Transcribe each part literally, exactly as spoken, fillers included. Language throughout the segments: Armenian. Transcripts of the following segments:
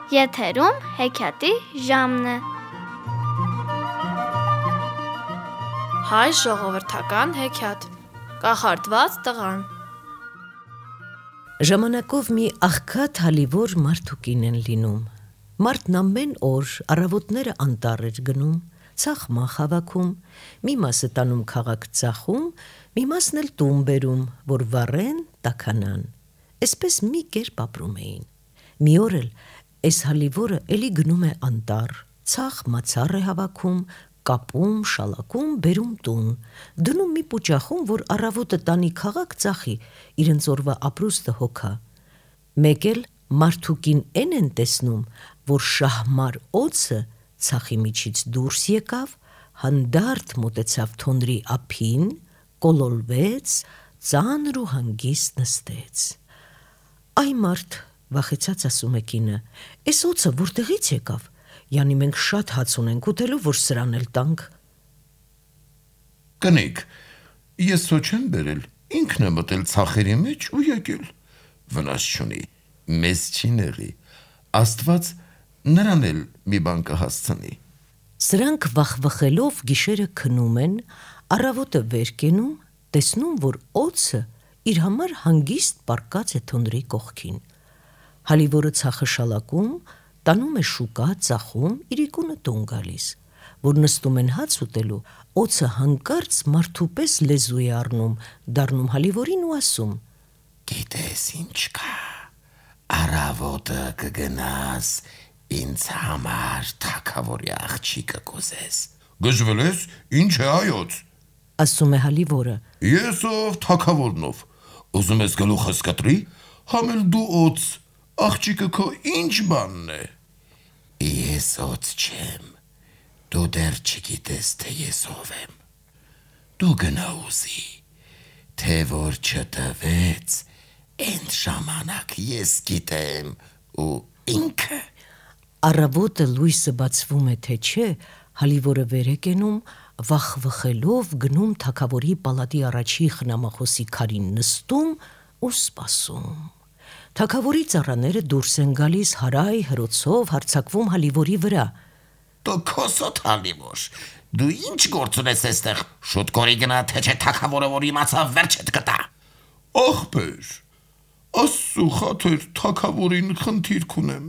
Եթերում հեքիաթի ժամն է։ Հայ ժողովրդական հեքիաթ։ Կախարդված տղան։ Ժամանակով մի աղքատ հալիվոր մարդուկին են լինում։ Մարդն ամեն օր առավոտները անտառ էր գնում, ծախմախ հավաքում, մի մասը տանում քաղաք ծախում, մի մասն էլ տուն բերում, որ վառեն, տաքանան։ Էսպես մի կերպ ապրում էին։ Մի օր էլ այս հալիվորը էլի գնում է անտառ, ծախ մացառ է հավաքում, կապում, շալակում, բերում տուն, դնում մի պուճախում, որ առավոտը տանի քաղաք ծախի, իրենց օրվա ապրուստը հոգա։ Մեկ էլ մարդուկին են են տեսնում, որ շահմար օձը ծախի միջից դուրս եկավ, հանդարտ մոտեցավ թոնրի ափին, կոլորվեց, ծանր ու հանգիստ նստեց։ Այ մարդ, վախեցած ասում է կինը, «Էս օձը որտեղից եկավ, յանի մենք շատ հաց ունենք ուտելու, որ սրան էլ տանք»։ Կնիկ, ես սո չեմ բերել, ինքն է մտել ծախերի մեջ ու եկել, վնաս չունի, մեզ չի նեղի, Աստված նրան էլ մի բան կհասցնի։ Սրանք վախվխելով գիշերը քնում են, առավոտը վեր կենում, տեսնում, որ օձը իր համար հանգիստ պառկած է թոնրի կողքին։ Հալիվորը ծախը շալակում, տանում է շուկա, ծախում, իրիկունը տուն գալիս, որ նստում են հաց ուտելու, օձը հանկարծ մարդու պես լեզու է առնում, դառնում հալիվորին ու ասում. Գիտես ինչ կա, առավոտը կգնաս, ինձ համար թագավորի աղջիկը կուզես։ Գժվել ես, ինչ է այոց, ասում է հալիվորը։ Ես ով թագավորնով, ուզում ես գլուխս կտրի, համել դու օձ, աղջիկը քո ինչ բանն է։ Ես օձ չեմ, դու դեռ չգիտես, թե ես ով եմ։ Դու գնա ուզի, թե որ չտվեց, Էնդ ժամանակ ես գիտեմ ու ինքը։ Առավոտը լույսը բացվում է, թե չէ, հալիվորը վեր է կենում, վախվխելով գնում թագավորի պալատի առաջի խնամախոսի քարին նստում ու սպասում։ Թագավորի ծառաները դուրս են գալիս հարայ հրոցով հարձակվում հալիվորի վրա։ Դու քոսոտ հալիվոր, դու ինչ գործ ունես այստեղ, շուտ կորի գնա, թե չէ թագավորը որ իմացավ վերջդ կտա։ Ախպեր, Աստծու խաթր թագավորին խնդիրք ունեմ,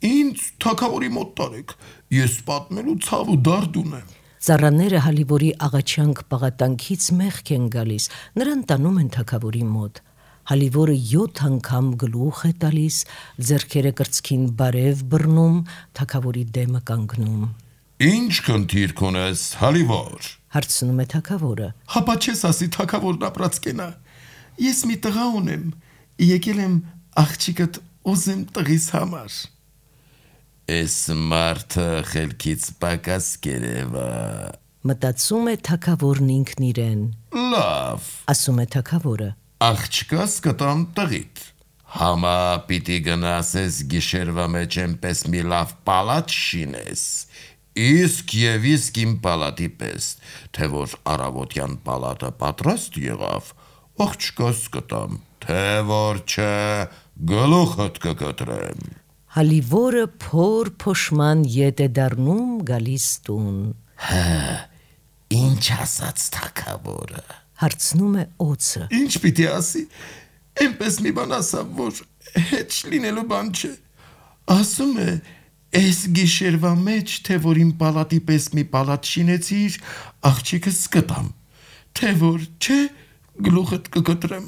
ինձ թագավորի մոտ տարեք, ես պատմելու ցավ ու դարդ ունեմ։ Ծառաները հալիվորի աղաչանք պաղատանքից մեղք են գալիս, նրան տանում են թագավորի մոտ։ Հալիվորը յոթ անգամ գլուխ է տալիս, ձեռքերը կրծքին բարև բռնում, թագավորի դեմը կանգնում։ Ինչ խնդիրք ունես, հալիվոր, հարցնում է թագավորը։ Հապա չես ասի թագավորն ապրած կենա, ես մի տղա ունեմ, եկել եմ աղջիկդ ուզեմ տղիս համար։ Էս մարդը խելքից պակաս կերևա, մտածում է թագավորն ինքն իրեն։ Լավ, ասում է թագավորը, աղջկաս կտամ տղիդ, համա պիտի գնաս ես գիշերվա մեջ էնպես մի լավ պալատ շինես, իսկ և իսկ իմ պալատի պես, թե որ առավոտյան պալատը պատրաստ եղավ, աղջկաս կտամ, թե որ չէ, գլուխդ կկտրեմ։ Հալիվորը փոր փոշման ետ է դառնում գալիս տուն։ Հա, ինչ ասաց թագավորը, հարցնում է օձը։ Ինչ պիտի ասի, էնպես մի բան ասավ, որ հետ լինելու բան չէ, ասում է, այս գիշերվա մեջ, թե որ իմ պալատի պես մի պալատ շինեցիր, աղջիկս կտամ, թե որ չէ, գլուխդ կկտրեմ։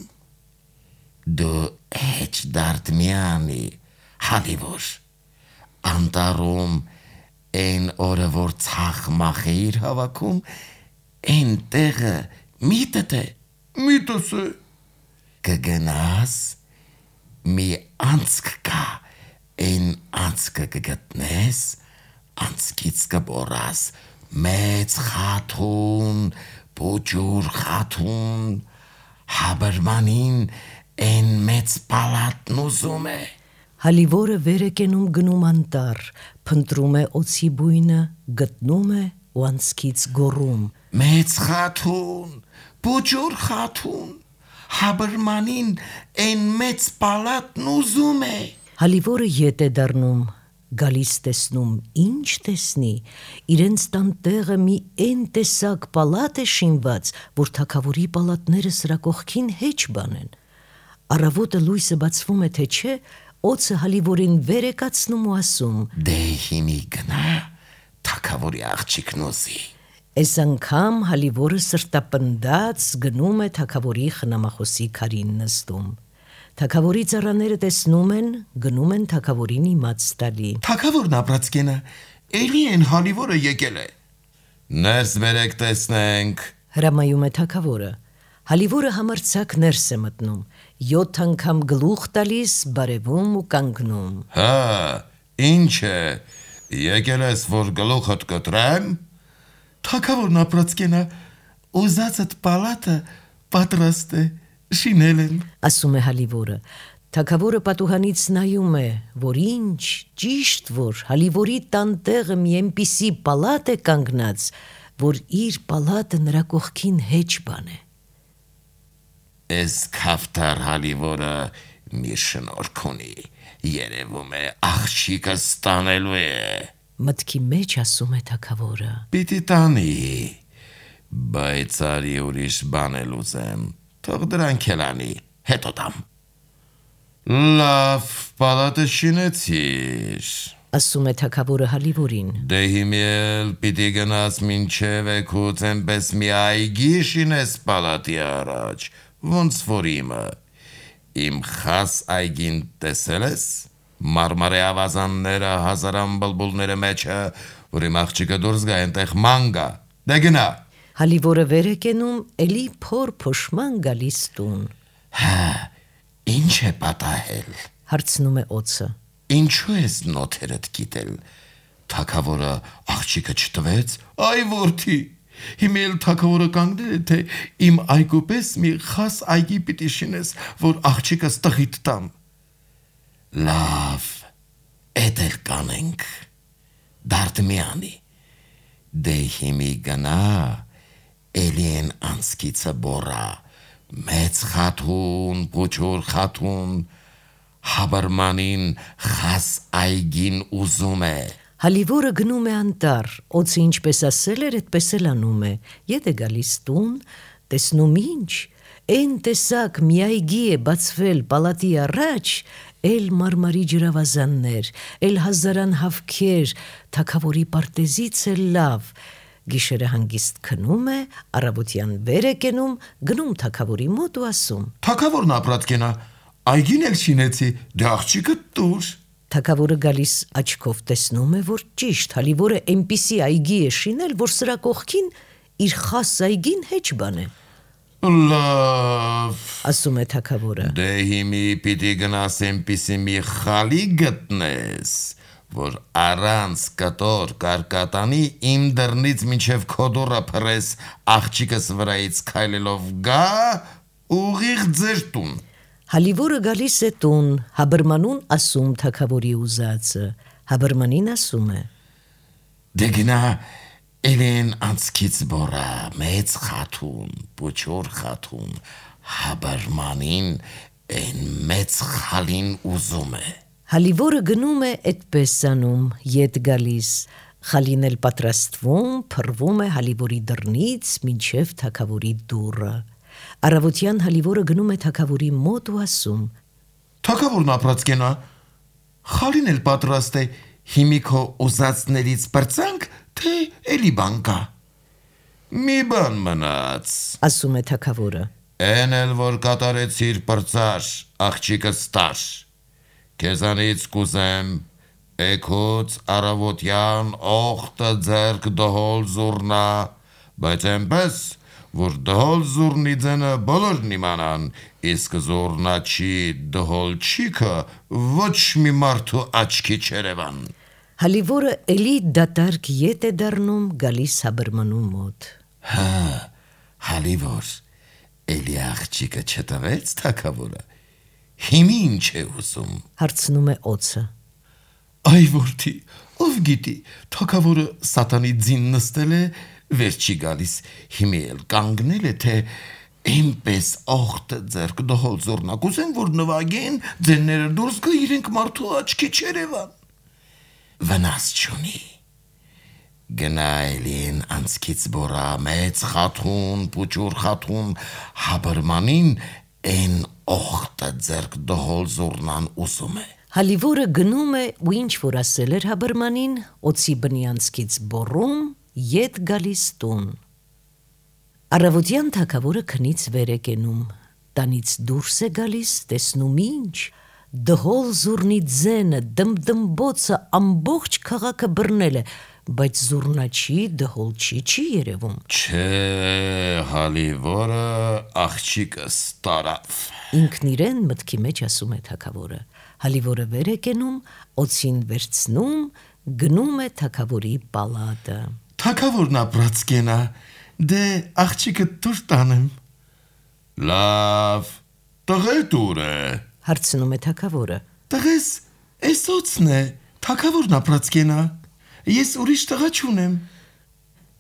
Դու էջ դարդ միանի, հալիվոր, անտառում են օրը որ ծախ մախեիր հավաքում, են տեղը միտդ է, միտս է, կգնաս, մի անցք կա, են անցքը կգտնես, անցքից կբորաս, մեծ խաթուն, պուջուր խաթուն, հաբրմանին են մեծ պալատն ուզում է։ Հալիվորը վեր է կենում գնում անտառ, փնտրում է օձի բույնը, գտնում է ու անցքից գոռում. Մեծ խաթուն, պուջուր խաթուն, հաբրմանին են մեծ պալատն ուզում է։ Հալիվորը ետ է դառնում, Գալիս տեսնում ինչ տեսնի, իրենց տան տեղը մի են տեսակ պալատ է շինված, որ թագավորի պալատները սրա կողքին հեչ բանեն։ Առավոտը լույսը բացվում է թե չէ, օձը հալիվորին վեր է կացնում ու ասում. Դե հիմի գնա, թագավորի աղջիկն ուզի։ Այս անգամ հալիվորը սրտապնդած գնում է թագավորի խնամախոսի քարին նստում։ Թագավորի ծառաները տեսնում են, գնում են թագավորին իմաց տալի։ Թագավորն ապրած կենը, էլի են հալիվորը եկել է։ Ներս բերեք տեսնենք։ Հրամայում է թագավորը։ Հալիվորը համարձակ ներս է մտնում, յոթ անգամ գլուխ տալիս, բարևում ու կանգնում։ Հա, ինչ է, եկել ես, որ գլուխդ կտրեմ։ Թագավորն ապրած կենը, ուզածդ պալատը պատրաստ է, շինել եմ, ասում է հալիվորը։ Թագավորը պատուհանից նայում է, որ ինչ, ճիշտ որ հալիվորի տան տեղը մի այնպիսի պալատ է կանգնած, որ իր պալատը նրա կողքին հեչ բան է։ Այս քավթար հալիվորը մի շնորհք ունի, երևում է աղջիկը ստանելու է։ Մտքի մեջ ասում է թագավորը. Պիտի տանի, բայց արի ուրիշ բան էլ ուզեմ, թող դրանք էլ անի, հետո տամ։ Լավ, պալատը շինեցիր, ասում է թագավորը հալիվորին։ Դե հիմի էլ պիտի գնաս մինչև էքուց էնպես մի այգի շինես պալատի առաջ, ոնց որ իմը։ Իմ խաս այգին տեսել ես, մարմարե ավազանները, հազարան բլբուլները մեջը, որ իմ աղջիկը դուրս գա այնտեղ ման գա, դե գնա։ Հալիվորը վեր է կենում, էլի փոր փոշման գալիս տուն։ Հա, ինչ է պատահել, հարցնում է օձը։ Ինչու ես նոթերդ գիտել, թագավորը աղջիկը չտվեց, այ որդի, հիմա էլ թագավորը կանգնել է, թե իմ այգու պես մի խաս այգի պիտի շինես, որ աղջիկս տղիդ տամ։ Լավ, էդ էլ կանենք, դարդ մի անի, դե հիմի գնա, էլի են անցքիցը բորա, մեծ խաթուն, փոչոր խաթուն, Հաբարմանին խաս այգին ուզում է։ Հալիվորը գնում է անտառ, օձը ինչպես ասել էր, այդպես էլ անում է, ետ է գալիս տուն, տեսնում ինչ, են տեսակ մի այգի է բացվել պալատի առաջ, էլ մարմարի ջրավազաններ, էլ հազարան հավքեր, թագավորի պարտեզից էլ լավ, գիշերը հանգիստ քնում է, առավոտյան վեր է կենում, գնում թագավորի մոտ ու ասում. Թագավորն ապրած կենա, այգին էլ շինեցի, դե աղջիկը տուր։ Թագավորը գալիս աչքով տեսնում է, որ ճիշտ հալիվորը այնպիսի այգի է շինել, որ սրա կողքին իր խաս այգին հեչ բան է։ Լավ, ասում է թագավորը։ Դե հիմի պիտի գնաս այնպիսի մի խալի գտնես, որ առանց կտոր կարկատանի իմ դռնից մինչև քո դուռը փռես, աղջիկս վրայից քայլելով գա, ուղիղ ձեր տուն։ Հալիվորը գալիս է տուն, Հաբրմանուն ասում թագավորի ուզածը, Հաբրմանին ասում է. Դե գնա, էլեն անցքից բորա, մեծ խաթուն, փոչոր խաթուն, Հաբրմանին են մեծ խալին ուզում է։ Հալիվորը գնում է այդպես անում, ետ գալիս, խալին էլ պատրաստվում, փռվում է հալիվորի դռնից մինչև թագավորի դուռը։ Առավոտյան հալիվորը գնում է թագավորի մոտ ու ասում. Թագավորն ապրած կենա, խալին էլ պատրաստ է, հիմի քո ուզածներից պրծանք, թե էլի բան կա։ Մի բան մնաց, ասում է թագավորը։ Էն էլ որ կատարեցիր պրծար, աղջիկս տար, քեզանից կուզեմ, էքոց առավոտյան օղտը ձեռք դհոլ զուրնա, բայց այնպես, որ դհոլ զուրնի ձենը բոլորն իմանան, իսկ զուրնաչի դհոլ չիքը ոչ մի մարդու աչքի չերևան։ Հալիվորը էլի դատարկ ետ է դառնում, գալիս Հաբրմանու մոտ։ Հա, հալիվոր, էլի աղջիկը չտվեց թագավորը, հիմի ինչ է ուզում, հարցնում է օձը։ Այ որդի, ով գիտի, թագավորը սատանի ձին նստել է, վեր չի գալիս, հիմի էլ կանգնել է, թե այնպես օղտը ձեռք դհոլ զուրնակ ուզեն, որ նվագեն, ձենները դուրս գա իրենք մարդու աչքի չերևան։ վնաս չունի։ Գնայլին անցքից բորա մեծ խաթուն, պուճուր խաթուն, հաբրմանին են օխտը ձերք դհոլ զուրնան ուսում է։ Հալիվորը գնում է ու ինչ որ ասել էր հաբրմանին, օծի բնի անցքից բոռում, ետ գալիս տուն։ Առավոտյան թագավորը քնից վեր է կենում, տանից դուրս է գալիս, տեսնում ինչ, դհոլ զուրնի ձենը, դմդմբոցը ամբողջ քաղաքը բռնել է, բայց զուրնաչի, դհոլչի չի երևում։ Չէ, Հալիվորը աղջիկս տարավ։ Ինքն իրեն մտքի մեջ ասում է թագավորը։ Հալիվորը վեր է կենում, օծին վերցնում, գնում է թագավորի պալատը։ Թագավորն ապրած կենա, դե աղջիկը դուր տանեմ։ Լավ, տղետ ուր է։ Հարցնում է թագավորը։ Տղես, էս օծն է, թագավորն ապրած կենա, ես ուրիշ տղա չունեմ։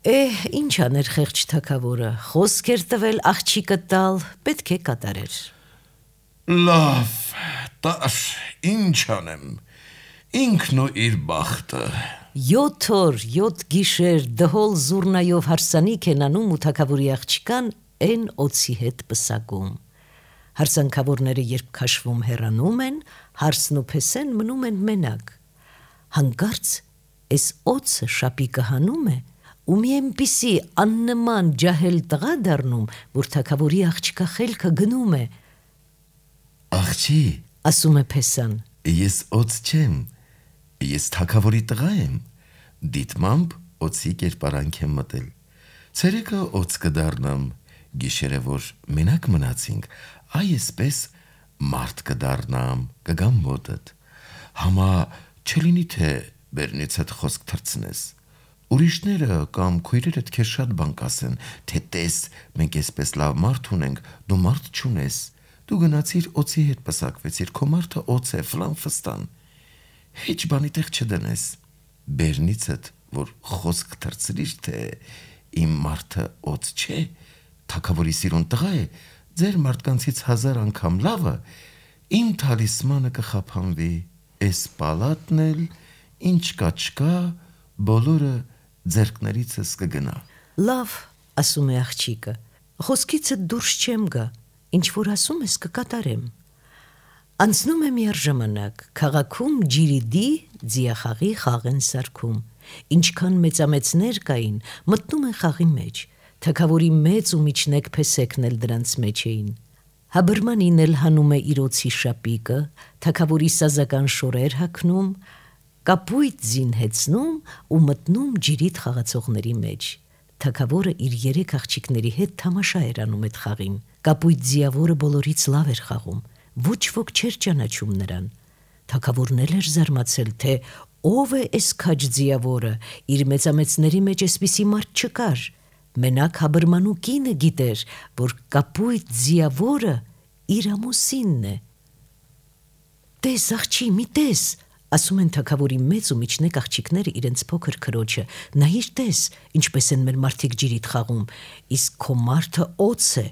Էհ, ինչ աներ խեղճ թագավորը, խոսք էր տվել աղջիկը տալ, պետք է կատարեր։ Լավ, տար, ինչ անեմ, ինքն ու իր բախտը։ Յոթ օր, յոթ գիշեր դհոլ զուրնայով հարսանիք են անում ու թագավորի աղջկան են օծի հետ պսակում։ Հարսանքավորները երբ քաշվում հեռանում են, հարսն ու փեսեն մնում են մենակ։ Հանկարծ էս օծը շապիկը հանում է ու մի այնպիսի աննման ջահել տղա դառնում, որ թագավորի աղջկա խելքը գնում է։ Աղջի, Ասում է փեսան։ ես օծ չեմ, ես թագավորի տղա եմ, դիտմամբ օծի կերպարանք եմ մտել, ցերեկը օծ կդառնամ, գիշերը որ մենակ մնացինք, այսպես մարդ կդառնամ, կգամ մոտդ, համա չլինի թե բերնից հետ խոսք թրցնես, ուրիշները կամ քույրերդ քեզ շատ բան կասեն, թե տես, մենք այսպես լավ մարդ ունենք, դու մարդ չունես, դու գնացիր օծի հետ պսակվեցիր, քո մարդը օծ է, ֆլան ֆստան, հեչ բանի տեղ չդնես, բերնիցդ, որ խոսք թրցրիր, թե իմ մարդը օծ չէ, թագավորի սիրուն տղա է, ձեր մարդկանցից հազար անգամ լավը, իմ թալիսմանը կխափանվի, էս պալատն էլ, ինչ կա չկա, բոլորը ձերքներիցս կգնա։ Լավ, ասում է աղջիկը, խոսքիցը դուրս չեմ գա, ինչ որ ասում ես կկատարեմ։ Անցնում է միառ ժամանակ, քաղաքում ջիրիդի ձիախաղի խաղ են սարքում, ինչքան մեծամեծներ կային, մտնում են խաղի մեջ, թագավորի մեծ ու միջնեկ փեսեքն էլ դրանց մեջ էին։ Հաբրմանին էլ հանում է իր օծի շապիկը, թագավորի սազական շորեր հագնում, կապույտ ձին հեծնում ու մտնում ջիրիդ խաղացողների մեջ։ Թագավորը իր երեք աղջիկների հետ թամաշա էր անում այդ խաղին։ Կապույտ ձիավորը բոլորից լավ էր խաղում, ոչ ոք չէր ճանաչում նրան։ Թագավորն էլ էր զարմացել, թե ով է էս քաջ ձիավորը, իր մեծամեծների մեջ էսպիսի մարդ չկար։ Մենակ հաբրմանու կինը գիտեր, որ կապույտ ձիավորը իր ամուսինն է։ Տես աղջի, մի տես, ասում են թագավորի մեծ ու միջնեկ աղջիկները իրենց փոքր քրոջը, նայիր տես, ինչպես են մեր մարդիկ ջիրիդ խաղում, իսկ քո մարդը օծ է,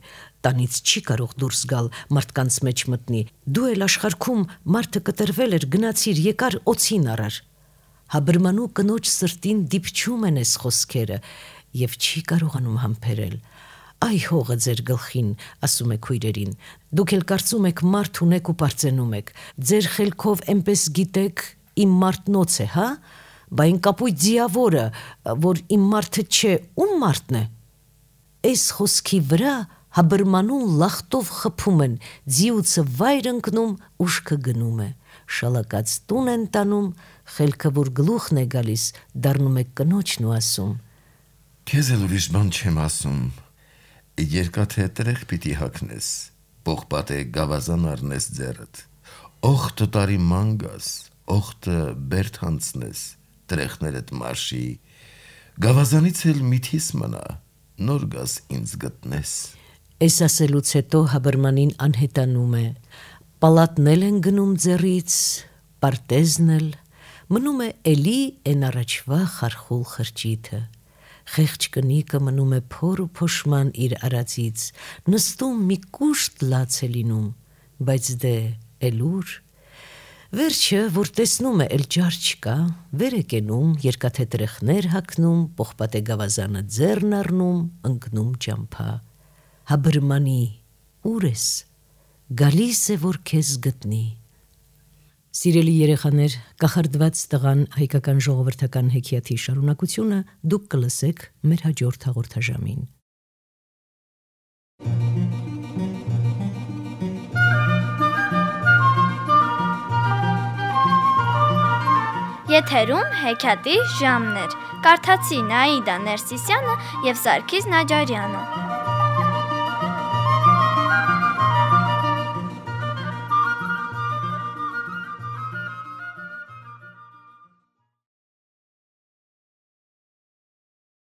տանից չի կարող դուրս գալ, մարդկանց մեջ մտնի, դու էլ աշխարհքում մարդը կտրվել էր, գնացիր, եկար օծին առար։ Հաբրմանու կնոջ սրտին դիպչում են էս խոսքերը եւ չի կարողանում համբերել։ Այ հողը ձեր գլխին, ասում է քույրերին, դուք էլ կարծում եք մարդ ունեք ու պարծենում եք, ձեր խելքով այնպես գիտեք իմ մարդնոց է, հա, բա այն կապույտ ձիավորը, որ իմ մարդը չէ, ում մարդն է։ Այս խոսքի վրա հաբրմանուն լախտով խփում են, ձիուցը վայր ընկնում, ուշքը գնում է, շալակած տուն են տանում, խելքը որ գլուխն է գալիս, դառնում է կնոջն ու ասում. Քեզ էլ ուրիշ բան չեմ ասում, երկաթե տրեղ պիտի հագնես, պողպատե գավազան առնես ձեռդ, օխտը տարի ման գաս, օխտը բերդ հանցնես, տրեղներդ մարշի, գավազանից էլ միթիս մնա, նոր գաս ինձ գտնես։ Էս ասելուց հետո հաբրմանին անհետանում է, պալատն էլ են գնում ձեռից, պարտեզն էլ, մնում է էլի են առաջվա խարխուլ խրճիթը։ Խեղճ կնիկը մնում է փոր ու փոշման իր արածից, նստում մի կուշտ լաց է լինում, բայց դե էլուր, Վերջը, որ տեսնում է էլ ջար չկա, վեր է կենում, երկաթե տրեխներ հագնում, պողպատե գավազանը ձեռն առնում, ընկնում ճամփա։ Հա բրմանի, ուր ես, գալիս է, որ քեզ գտնի։ Սիրելի երեխաներ, կախարդված տղան հայկական ժողովրդական հեքիաթի շարունակությունը դուք կլսեք մեր հաջորդ հաղորդաժամին։ Եթերում հեքիաթի ժամն էր։ Կարդացի Նաիդա Ներսիսյանը և Սարգիս Նաջարյանը։